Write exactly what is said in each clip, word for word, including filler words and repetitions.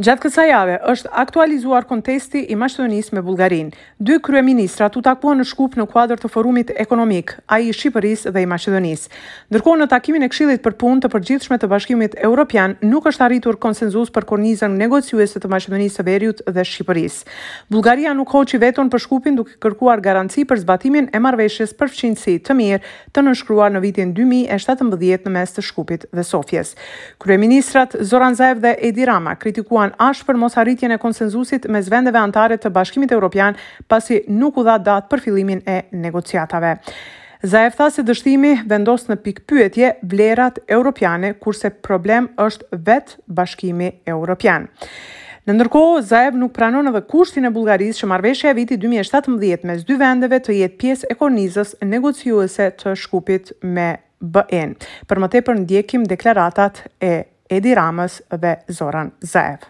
Gjatë kësaj jave është aktualizuar kontesti i Maqedonisë me Bullgarinë. Dy kryeministrat u takuan në Shkup në kuadër të forumit ekonomik, ai i Shqipërisë dhe i Maqedonisë. Ndërkohë, në takimin e Këshillit për Punë të Përgjithshme të Bashkimit Evropian nuk është arritur konsensus për kornizën negociuese të Maqedonisë së Veriut dhe Shqipërisë. Bullgaria nuk hoqi veton për Shkupin, duke kërkuar garanci për zbatimin e marrëveshjes për fqinjësi të mirë të nënshkruar në vitin dy mijë e shtatëmbëdhjetë në mes të Shkupit dhe Sofjes. Kryeministrat Zoran Zaev dhe Edi Rama kritikuan ashpër mos arritjen e konsensusit mes vendeve anëtare të Bashkimit Evropian, pasi nuk u dha datë për fillimin e negociatave. Zaev tha se dështimi vendos në pikëpyetje vlerat europiane, kurse problem është vetë Bashkimi Evropian. Në ndërkohë, Zaev nuk pranon edhe kushtin e Bullgarisë që marrëveshja e vitit dy mijë e shtatëmbëdhjetë mes dy vendeve të jetë pjesë e kornizës negociuese të Shkupit me B E-n. Për më tepër ndjekim deklaratat e Edi Ramës dhe Zoran Zaev.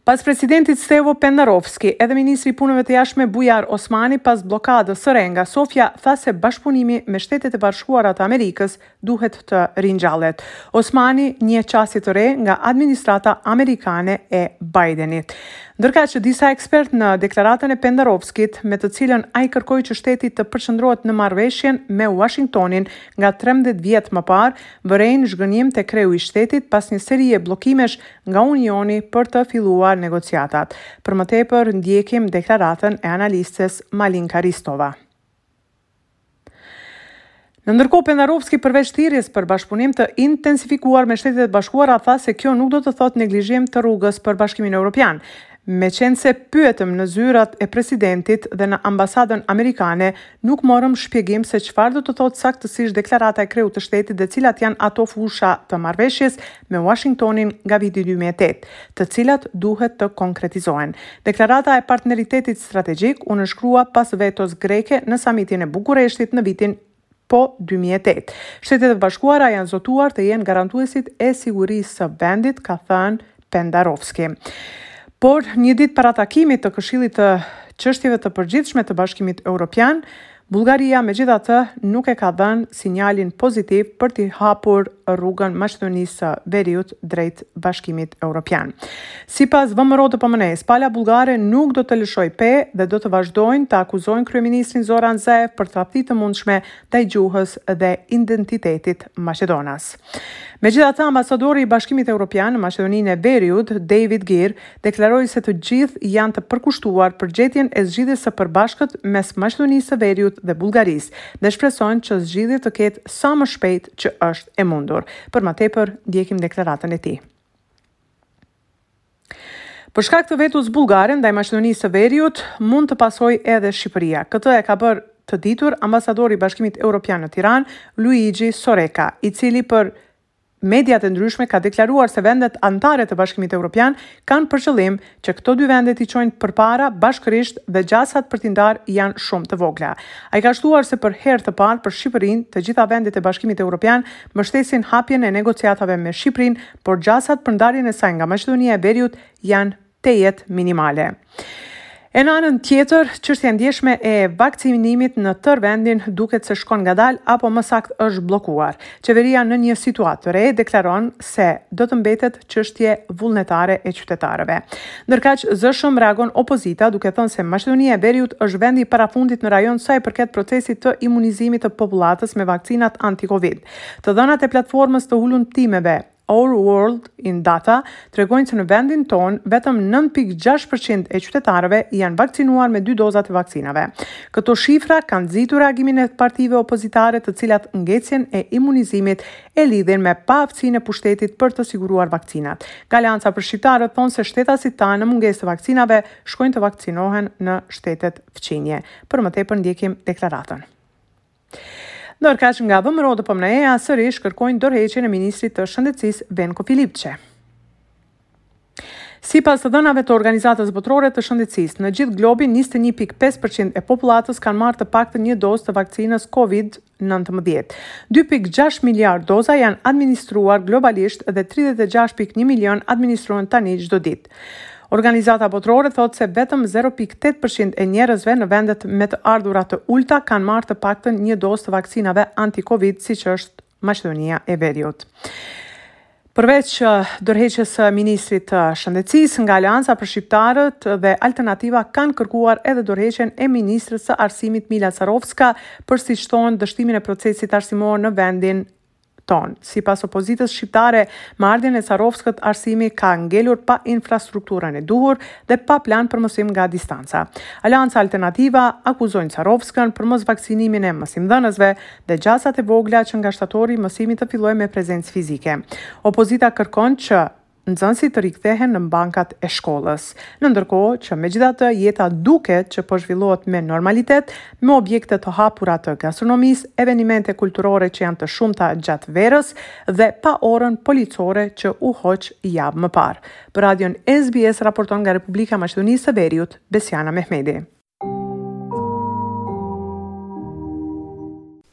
Pas presidentit Stevo Pendarovski, edhe ministri i Punëve të Jashtme Bujar Osmani, pas bllokadës së re nga Sofja, tha se bashkëpunimi me Shtetet e Bashkuara të Amerikës duhet të ringjallet. Osmani një qasje të re nga administrata amerikane e Bidenit. Ndërkaq që disa ekspert në deklaratën e Pendarovskit, me të cilën ai kërkoi që shteti të përqendrohet në marrëveshjen me Washingtonin nga trembëdhjetë vjet më parë, vërejnë zhgënjim te kreu i shtetit pas një serie bllokimesh nga Unioni për të filluar negociatat. Për më tepër ndjekim deklaratën e analistes Malinka Ristova. Në ndërkohë, Pendarovski, përveç thirrjes për bashkëpunim të intensifikuar me Shtetet e Bashkuara, tha se kjo nuk do të thotë neglizhim të rrugës për Bashkimin Evropian. Me qenë se pyetëm në zyrat e presidentit dhe në ambasadën amerikane, nuk morëm shpjegim se çfarë do të thotë saktësisht deklarata e kreut të shtetit dhe cilat janë ato fusha të marrëveshjes me Washingtonin nga viti dy mijë e tetë, të cilat duhet të konkretizohen. Deklarata e partneritetit strategjik u nënshkrua pas vetos greke në samitin e Bukureshtit në vitin po dy mijë e tetë. Shtetet e Bashkuara janë zotuar të jenë garantuesit e sigurisë së vendit, ka thënë Pendarovski. Por një ditë para takimit të Këshillit të Çështjeve të Përgjithshme të Bashkimit Evropian, Bullgaria megjithatë nuk e ka dhënë sinjalin pozitiv për t'i hapur rrugën Maqedonisë së Veriut drejt Bashkimit Evropian. Sipas V M R O D P M N E-s, pala bullgare nuk do të lëshojë pe dhe do të vazhdojnë të akuzojnë kryeministrin Zoran Zaev për tradhti të mundshme ndaj gjuhës dhe identitetit maqedonas. Megjithatë, ambasadori i Bashkimit Evropian në Maqedoninë e Veriut, David Geer, deklaroi se të gjithë janë të përkushtuar për gjetjen e zgjidhjes së përbashkët mes Maqedonisë së Veriut dhe Bullgarisë dhe shpresojnë që zgjidhje të ketë sa më shpejt që është e mundur. Për më tepër ndjekim deklaratën e tij. Për shkak të vetos bullgare ndaj Maqedonisë së Veriut, mund të pasojë edhe Shqipëria. Këtë e ka bërë të ditur ambasadori i Bashkimit Evropian në Tiranë, Luigi Soreka, i cili për mediat e ndryshme ka deklaruar se vendet anëtare të Bashkimit Evropian kanë për qëllim që këto dy vende t'i çojnë përpara bashkërisht dhe gjasat për t'i ndarë janë shumë të vogla. Ai ka shtuar se për herë të parë për Shqipërinë, të gjitha vendet e Bashkimit Evropian mbështesin hapjen e negociatave me Shqipërinë, por gjasat për ndarjen e saj nga Maqedonia e Veriut janë tejet minimale. E në anën tjetër, çështja e ndjeshme e vaksinimit në tërë vendin duket se shkon ngadalë apo më saktë është bllokuar. Qeveria në një situatë të re deklaron se do të mbetet çështje vullnetare e qytetarëve. Ndërkaq, zëshëm reagon opozita, duke thënë se Maqedonia e Veriut është vendi i parafundit në rajon sa i përket procesit të imunizimit të popullatës me vaksinat anti-Covid. Të dhënat e platformës të hulumtimeve Our World in Data tregojnë se në vendin tonë vetëm nëntë pikë gjashtë për qind e qytetarëve janë vakcinuar me dy dozat e vaksinave. Këto shifra kanë nxitur reagimin e partive opozitare, të cilat ngecjen e imunizimit e lidhin me paaftësinë e pushtetit për të siguruar vaksinat. Nga Aleanca për Shqiptarët thonë se shtetasit tanë në mungesë të vaksinave shkojnë të vaksinohen në shtetet fqinje. Për më tepër ndjekim deklaratën. Ndërkaq, nga V M R O D P M N E-ja sërish kërkojnë dorëheqjen e ministrit të Shëndetësisë Venko Filipçe. Sipas të dhënave të Organizatës Botërore të Shëndetësisë, në gjithë globin njëzet e një pikë pesë për qind e popullatës kanë marrë të paktën një dozë të vaksinës COVID nëntëmbëdhjetë. dy pikë gjashtë miliard doza janë administruar globalisht dhe tridhjetë e gjashtë pikë një milion administrohen tani çdo ditë. Organizata Botërore thotë se vetëm zero pikë tetë për qind e njerëzve në vendet me të ardhura të ulta kanë marrë të paktën një dozë të vaksinave anti-Covid, siç është Maqedonia e Veriut. Përveç dorëheqjes së ministrit të Shëndetësisë, nga Aleanca për Shqiptarët dhe Alternativa kanë kërkuar edhe dorëheqjen e ministres së Arsimit Mila Carovska për siç thonë dështimin e procesit arsimor në vendin tonë. Sipas opozitës shqiptare, me ardhjen e Carovskës arsimi ka ngelur pa infrastrukturën e duhur dhe pa plan për mësim nga distanca. Aleanca Alternativa akuzojnë Carovskën për mos vaksinimin e mësimdhënësve dhe gjasat e vogla që nga shtatori mësimi të fillojë me prezencë fizike. Opozita kërkon që nxënësit të rikthehen në bankat e shkollës. Në ndërkohë që megjithatë jeta duket që po zhvillohet me normalitet, me objekte të hapura të gastronomisë, evenimente kulturore që janë të shumta gjatë verës dhe pa orën policore që u hoq javë më parë. Për radion S B S raporton nga Republika e Maqedonisë së Veriut, Besiana Mehmedi.